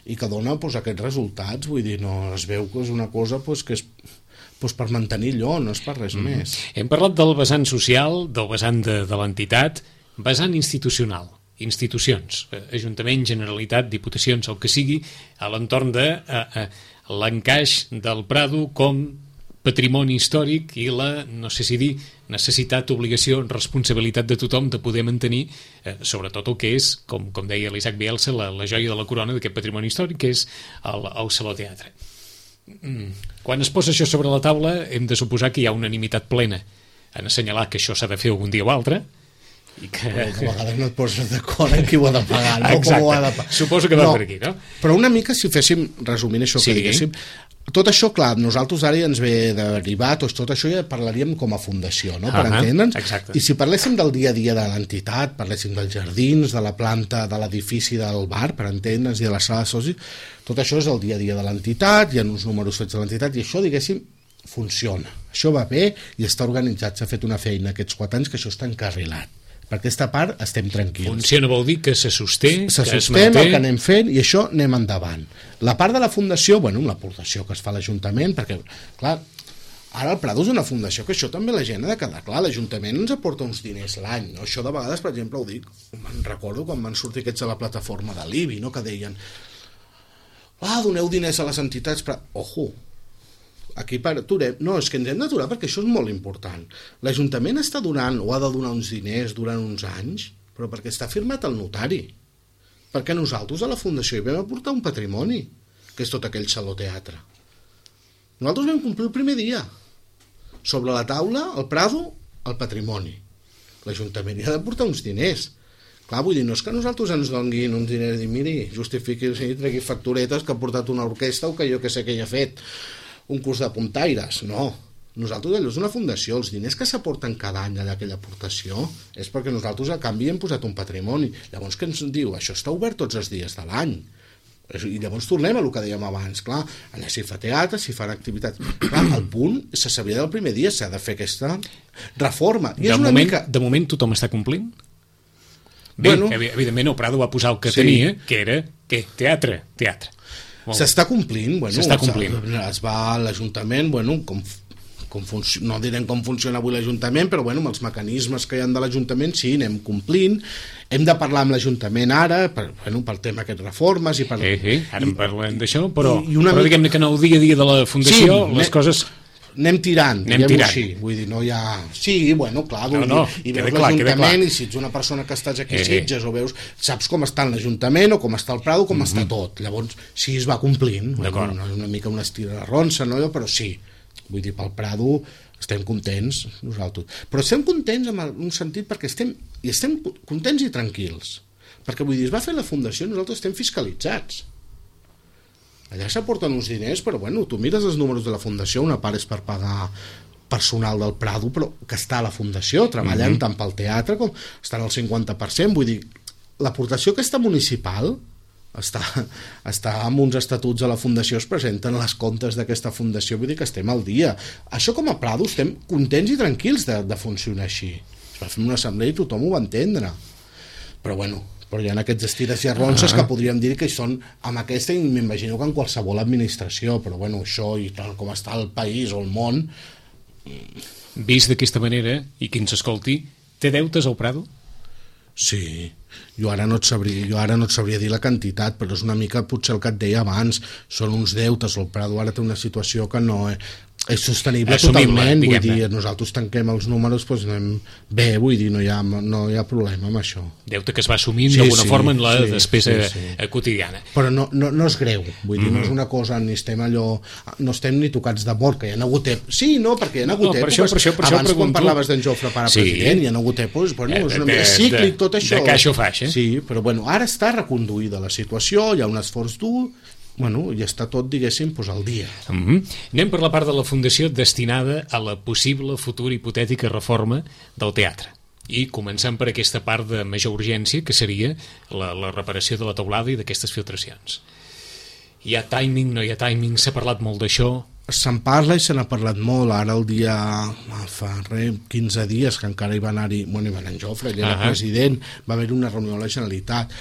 i que dona aquests resultats, vull dir, no es veu que és una cosa que és per mantenir allò, no és per res més. Hem parlat del vessant social, del vessant de l'entitat, vessant institucional, institucions, Ajuntament, Generalitat, Diputacions, el que sigui, a l'entorn de l'encaix del Prado com patrimoni històric i la, no sé si dir, necessitat, obligació, responsabilitat de tothom de poder mantenir sobretot el que és, com deia l'Isaac Bielsa, la joia de la corona d'aquest patrimoni històric, que és el Saló Teatre. Quan es posa això sobre la taula hem de suposar que hi ha unanimitat plena en assenyalar que això s'ha de fer algun dia o altre, i que... Però que a vegades no et poses d'acord en qui ho ha de pagar, no? Exacte. Com ho ha de pagar. Suposo que va per aquí, no? Però una mica, si féssim, resumint això que diguéssim, tot això, clar, nosaltres ara ja ens ve derivat, tot això ja parlaríem com a fundació, no? Per entendre'ns. Exacte. I si parléssim del dia a dia de l'entitat, parléssim dels jardins, de la planta, de l'edifici del bar, per entendre'ns, i de la sala de socis, tot això és el dia a dia de l'entitat, hi ha uns números fets de l'entitat, i això, diguéssim, funciona. Això va bé i està organitzat, s'ha fet una feina aquests 4 anys que això està encarrilat. Per aquesta part estem tranquils. Funciona vol dir que se sosté, que es manté, el que anem fent i això anem endavant. La part de la fundació, l'aportació que es fa a l'Ajuntament, perquè, clar, ara el Prado és una fundació, que això també la gent ha de quedar clar, l'Ajuntament ens aporta uns diners l'any, no? Això de vegades, per exemple, ho dic, me'n recordo quan van sortir aquests a la plataforma de l'IBI, no? Que deien, doneu diners a les entitats, però, ojo, aquí aturem. No, és que ens hem d'aturar perquè això és molt important. L'Ajuntament està donant o ha de donar uns diners durant uns anys, però perquè està firmat el notari. Perquè nosaltres a la Fundació hi vam aportar un patrimoni, que és tot aquell Saló Teatre. Nosaltres vam complir el primer dia. Sobre la taula, el Prado, el patrimoni. L'Ajuntament hi ha d'aportar uns diners. Clar, vull dir, no és que nosaltres ens donguin uns diners i miri, justifiqui, tregui facturetes que ha portat una orquestra o que jo que sé que hi ha fet un curs de puntaires, no. Nosaltres allò és una fundació, els diners que s'aporten cada any d'aquella aportació és perquè nosaltres a canvi hem posat un patrimoni. Llavors què ens diu? Això està obert tots els dies de l'any. I llavors tornem a el que dèiem abans, clar, allà s'hi fa teatre, s'hi fan activitats. Clar, el punt se sabia del primer dia, s'ha de fer aquesta reforma. I de moment tothom està complint? Bé, evidentment el Prado va posar el que tenia, que era teatre. S'està complint, s'està complint. Es va a l'Ajuntament, no direm com funciona avui l'Ajuntament, però amb els mecanismes que hi ha de l'Ajuntament sí, anem complint. Hem de parlar amb l'Ajuntament ara pel tema aquestes reformes ara en parlem d'això, però diguem-ne que en el dia a dia de la Fundació les coses... Anem tirant, diguem-ho així, vull dir, no hi ha... Sí, clar, i veus l'Ajuntament, i si ets una persona que estàs aquí a Sitges, o veus, saps com està l'Ajuntament, o com està el Prado, com està tot. Llavors, sí, es va complint, una mica una estira de ronça, no? Però sí, vull dir, pel Prado estem contents, nosaltres. Però estem contents en un sentit perquè estem contents i tranquils. Perquè, vull dir, es va fer la Fundació, nosaltres estem fiscalitzats. Allà s'aporten uns diners, però tu mires els números de la Fundació, una part és per pagar personal del Prado, però que està a la Fundació, treballant tant pel teatre com estan al 50%, vull dir, l'aportació aquesta municipal està amb uns estatuts de la Fundació, es presenten les comptes d'aquesta Fundació, vull dir que estem al dia. Això com a Prado estem contents i tranquils de funcionar així. Es va fer una assemblea i tothom ho va entendre. Però hi ha aquests estires i arronses que podríem dir que són amb aquesta, i m'imagino que en qualsevol administració, però això i tal com està el país o el món... Vist d'aquesta manera, i qui ens escolti, té deutes al Prado? Sí, Jo ara no et sabria dir la quantitat, però és una mica potser el que et deia abans, són uns deutes, el Prado ara té una situació que no és sostenible totalment, vull dir, nosaltres tanquem els números, doncs anem bé, vull dir, no hi ha problema amb això. Deute que es va assumint d'alguna forma en la despesa quotidiana. Però no és greu, vull dir, no és una cosa, ni estem ni tocats de mort, que hi ha hagut sí, no, perquè hi ha hagut abans quan parlaves d'en Jofre pare president, hi ha hagut és una mica cíclic tot això. De caixa o faixa. Sí, però bueno, ara està reconduïda la situació, hi ha un esforç dur, i està tot, diguéssim, al dia. Anem per la part de la Fundació destinada a la possible futura hipotètica reforma del teatre. I començant per aquesta part de major urgència, que seria la reparació de la teulada i d'aquestes filtracions. Hi ha timing, no hi ha timing? S'ha parlat molt d'això? Se'n parla i se n'ha parlat molt. Ara el dia, fa 15 dies, que encara hi va anar-hi, hi va anar en Jofre, ell era president, va haver una reunió a la Generalitat.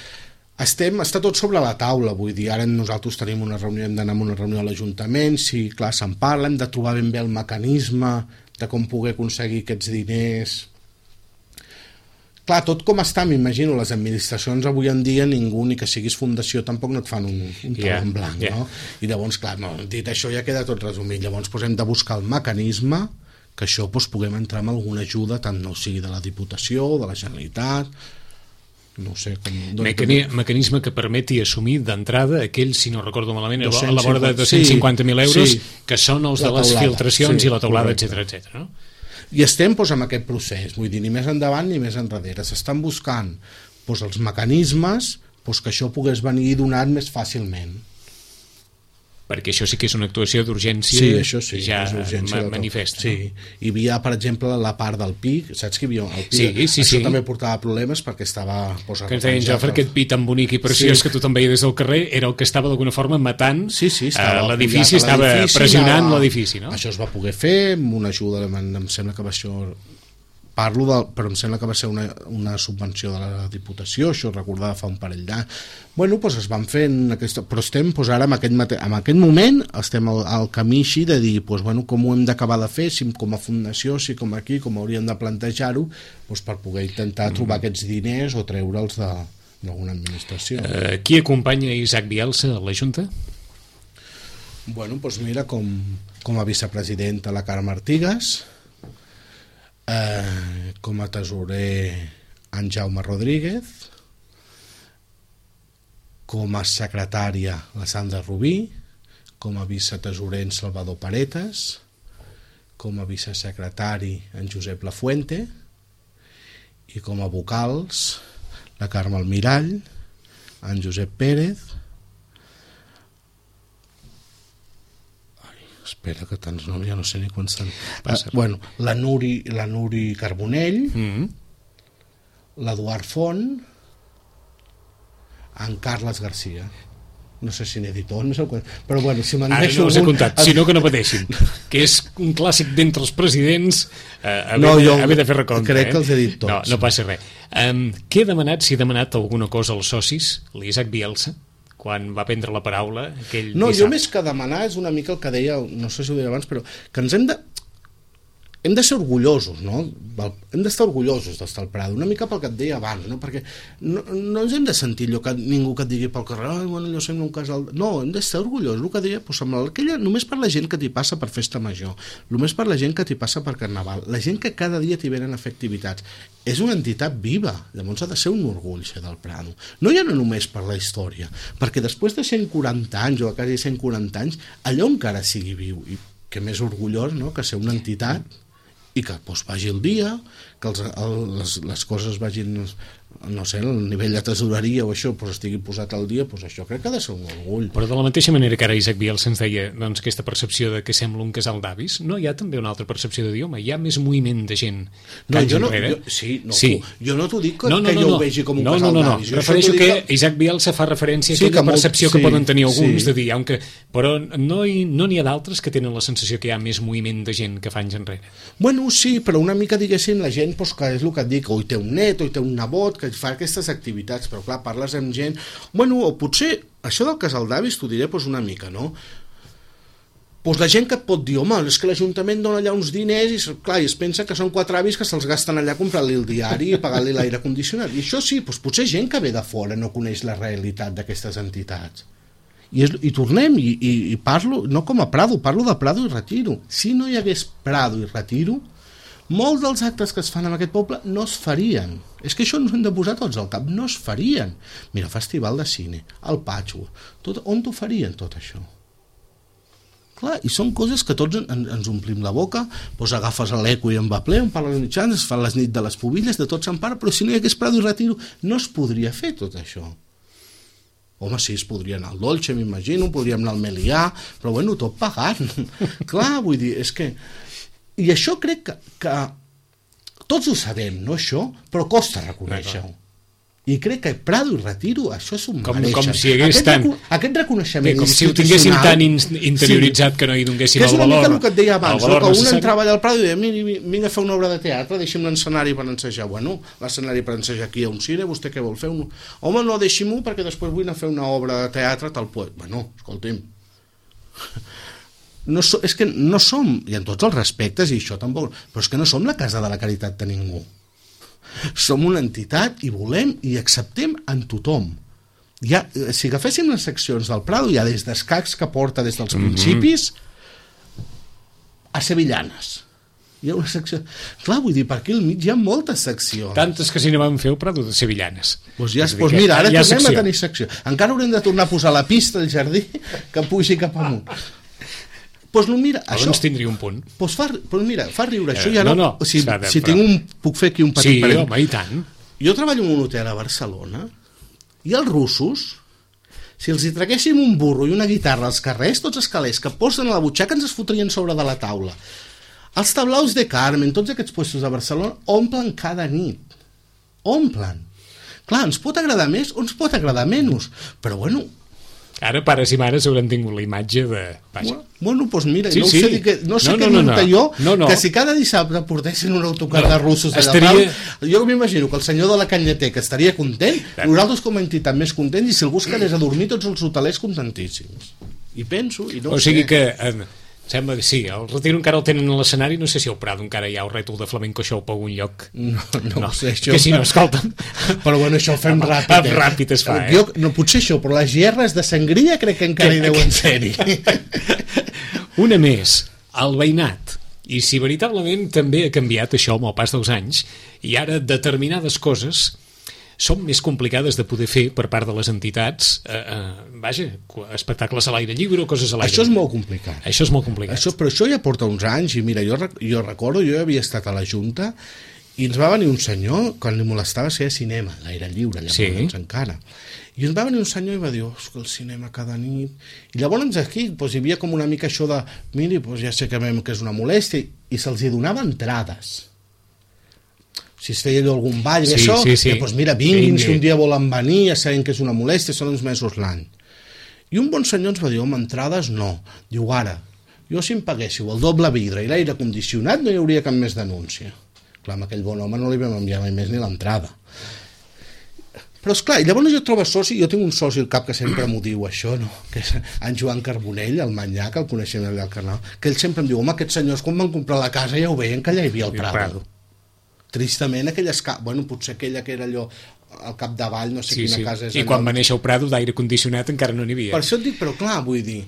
Està tot sobre la taula, vull dir, ara nosaltres tenim una reunió, hem d'anar a una reunió a l'Ajuntament, sí, clar, se'n parla, hem de trobar ben bé el mecanisme de com poder aconseguir aquests diners. Clar, tot com està, m'imagino, les administracions avui en dia, ningú, ni que siguis fundació, tampoc no et fan un tauló en blanc, no? I llavors, clar, dit això ja queda tot resumit, llavors hem de buscar el mecanisme que això puguem entrar amb alguna ajuda, tant no sigui de la Diputació, de la Generalitat, no sé com... Mecanisme que permeti assumir d'entrada aquells, si no recordo malament, a la vora de 250.000 euros, que són els de les filtracions i la teulada, etc. No? I estem amb aquest procés, vull dir, ni més endavant ni més enrere. S'estan buscant els mecanismes que això pogués venir donat més fàcilment. Perquè això sí que és una actuació d'urgència, sí, això sí, ja manifesta. Sí, hi havia, per exemple, la part del PIC, saps que hi havia el PIC? Sí. Això també portava problemes perquè estava... Que ens deien, Jofre, aquest PIC tan bonic i preciós que tothom veia des del carrer era el que estava d'alguna forma matant l'edifici, estava pressionant l'edifici, no? Això es va poder fer amb una ajuda, em sembla que va ser... però em sembla que va ser una subvenció de la Diputació, això recordava fa un parell d'anys. Es van fer però estem ara en aquest moment estem al camí així de dir com ho hem d'acabar de fer, si com a fundació, si com aquí, com hauríem de plantejar-ho per poder intentar trobar aquests diners o treure'ls d'alguna administració. Qui acompanya Isaac Bielsa a la Junta? Mira, com a vicepresidenta la Carme Artigas, com a tesorer en Jaume Rodríguez, com a secretària la Sandra Rubí, com a vicetesorer en Salvador Paretas, com a vicesecretari en Josep Lafuente i com a vocals la Carme Almirall, en Josep Pérez, espera que tants noms ja no sé ni quants són, la Nuri Carbonell, l'Eduard Font, en Carles Garcia, no sé si n'he dit tot, però si me'n deixo no els he comptat, sinó que no pateixin, que és un clàssic d'entre els presidents haver de fer recompte. Crec que els he dit tots. No passa res. Què he demanat, si he demanat alguna cosa als socis, l'Isaac Bielsa, quan va prendre la paraula aquell dissabte? Jo més que demanar és una mica el que deia, no sé si ho deia abans, però que ens hem de ser orgullosos, no? Hem d'estar orgullosos d'estar al Prado, una mica pel que et deia abans, no? Perquè no ens hem de sentir ningú que et digui pel carrer, allò sembla un casal... No, hem d'estar orgullosos, el que deia, només per la gent que t'hi passa per festa major, només per la gent que t'hi passa per carnaval, la gent que cada dia t'hi venen a fer activitats. És una entitat viva, llavors ha de ser un orgull ser del Prado. No ja no només per la història, perquè després de 140 anys o quasi 140 anys, allò encara sigui viu, i que més orgullós, no?, que ser una entitat i que vagi el dia, que les coses vagin, no sé, el nivell de tesoreria o això estigui posat al dia, això crec que ha de ser un orgull. Però de la mateixa manera que ara Isaac Bielsa ens deia aquesta percepció de que sembla un casal d'avis, no hi ha també una altra percepció de dir, home, hi ha més moviment de gent que anys enrere? Jo no t'ho dic que jo ho vegi com un casal d'avis. Refereixo que Isaac Bielsa fa referència a aquella percepció que poden tenir alguns de dir, però no n'hi ha d'altres que tenen la sensació que hi ha més moviment de gent que fa anys enrere. Sí, però una mica, diguéssim, la gent, que és el que et dic, o hi té un net, o hi té un nebot, que fa aquestes activitats, però clar, parles amb gent... O potser, això del casal d'avis t'ho diré una mica, no? doncs la gent que et pot dir, home, és que l'Ajuntament dona allà uns diners i, clar, i es pensa que són 4 avis que se'ls gasten allà comprant-li el diari i pagant-li l'aire condicionat. I això sí, doncs potser gent que ve de fora no coneix la realitat d'aquestes entitats. I tornem, i parlo, no com a Prado, parlo de Prado i Retiro. Si no hi hagués Prado i Retiro, molts dels actes que es fan en aquest poble no es farien. És que això ens ho hem de posar tots al cap, no es farien. Mira, festival de cine, el Patchwork, on t'ho farien tot això? Clar, i són coses que tots ens omplim la boca, doncs agafes l'eco i en va ple, on parlen els mitjans, es fan les nits de les pubilles, de tot se'n parla, però si no hi hagués Prado i Retiro no es podria fer tot això. Home, sí, es podria anar al Dolce, m'imagino, podríem anar al Melià, però bueno, tot pagant. Clar, vull dir, és que... I això crec que tots ho sabem, no això? Però costa reconèixer-ho. I crec que Prado i Retiro això s'ho mereixen. Com si hagués aquest reconeixement com si ho tinguéssim tan interioritzat que no hi donéssim el valor. Que és una mica el que et deia abans, no? Que un entrava allà al Prado i deia, mira, vinga a fer una obra de teatre, deixi'm l'escenari per ensejar. Bueno, l'escenari per ensejar aquí a un cine, vostè què vol fer? Home, no, deixi-m'ho perquè després vull anar a fer una obra de teatre tal poet. Bueno, escolti'm, és que no som, i en tots els respectes i això tampoc, però és que no som la casa de la caritat de ningú. Som una entitat i volem i acceptem en tothom. Si agaféssim les seccions del Prado, hi ha des d'escacs que porta des dels principis a sevillanes. Hi ha una secció... Clar, vull dir, per aquí al mig hi ha moltes seccions. Tantes que si no vam fer el Prado de sevillanes. Doncs mira, ara tornem a tenir secció. Encara haurem de tornar a posar la pista al jardí que pugi cap amunt. Doncs mira, això... Doncs tindria un punt. Doncs mira, fa riure això. Si puc fer aquí un petit parell. Sí, home, i tant. Jo treballo en un hotel a Barcelona i els russos, si els hi traguéssim un burro i una guitarra als carrers, tots els calés que posen a la butxaca ens es fotrien sobre de la taula. Els tablaus de Carmen, tots aquests puestos de Barcelona, omplen cada nit. Omplen. Clar, ens pot agradar més o ens pot agradar menys, però bueno... Ara pares i mares hauran tingut la imatge de... Bueno, doncs mira, no sé què munta jo, que si cada dissabte portessin un autocar de russos allà jo m'imagino que el senyor de la Canyeteca estaria content, nosaltres com a entitat més contents, i si algú es quedés a dormir tots els hotelers contentíssims. I penso, i no sé... O sigui que... Sembla que sí, el Retiro encara el tenen a l'escenari, no sé si al Prado encara hi ha el rètol de flamenco show per algun lloc. No ho sé, això... Que si no, escolta'm... Però bueno, això ho fem ràpid. Ràpid es fa, No, potser això, però les gerres de sangria crec que encara hi deuen ser-hi. Una més, el veïnat. I si veritablement també ha canviat això amb el pas dels anys, i ara determinades coses són més complicades de poder fer per part de les entitats, espectacles a l'aire lliure o coses a l'aire lliure. Això és molt complicat. Això és molt complicat. Però això ja porta uns anys, i mira, jo recordo, jo havia estat a la Junta i ens va venir un senyor, quan li molestava ser cinema, a l'aire lliure, llavors encara. I ens va venir un senyor i va dir, que el cinema cada nit... I llavors aquí hi havia com una mica això de, miri, ja sé que és una molèstia, i se'ls hi donava entrades. Si es feia allò algun ball, doncs mira, vinguin, si un dia volen venir, ja saben que és una molèstia, són uns mesos l'any. I un bon senyor ens va dir, home, entrades no. Diu, ara, jo si em paguéssiu el doble vidre i l'aire condicionat no hi hauria cap més denúncia. Clar, amb aquell bon home no li vam enviar mai més ni l'entrada. Però esclar, i llavors jo trobo soci, jo tinc un soci al cap que sempre m'ho diu això, no? Que és en Joan Carbonell, el Manyà, que el coneixem allà al Carnal, que ell sempre em diu, home, aquests senyors quan van comprar la casa ja ho veien que allà hi havia el Prado. Tristament bueno, potser aquella que era allò al capdavall, no sé quina casa és. I quan va néixer el Prado d'aire condicionat encara no n'hi havia. Per això et dic, però clar, vull dir,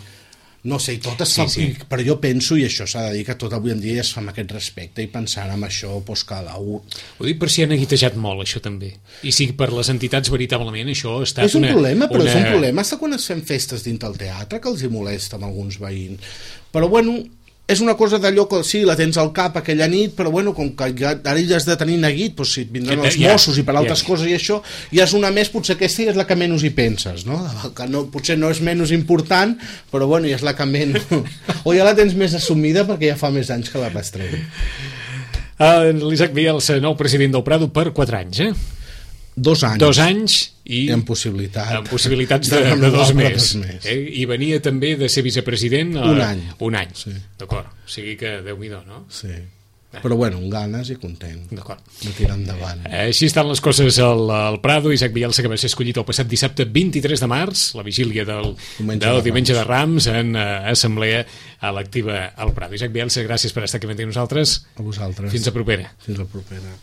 no sé, tot es fa, però jo penso, i això s'ha de dir, que tot avui en dia es fa amb aquest respecte i pensant en això, doncs que Ho dic per si han aguitejat molt, això també. I si per les entitats veritablement això ha estat és un problema, però és un problema hasta quan es fem festes dins del teatre, que els hi molesta amb alguns veïns. Però bueno, és una cosa d'allò que sí, la tens al cap aquella nit, però bueno, com que ara ja has de tenir neguit, doncs si et vindran els Mossos i per altres coses i això, ja és una més, potser aquesta ja és la que menys hi penses, no? Que potser no és menys important, però bueno, ja és la que menys... O ja la tens més assumida perquè ja fa més anys que la rastrem. L'Isaac Bielsa, nou president del Prado per 4 anys, 2 anys. 2 anys i amb possibilitats de 2 més. I venia també de ser vicepresident un any. Un any, sí. d'acord. O sigui que Déu-n'hi-do, no? Sí. Però bueno, amb ganes i content de tirar endavant. Així estan les coses al Prado. Isaac Bielsa, que va ser escollit el passat dissabte 23 de març, la vigília del diumenge de Rams, en assemblea electiva al Prado. Isaac Bielsa, gràcies per estar aquí amb nosaltres. A vosaltres. Fins a propera. Fins a propera.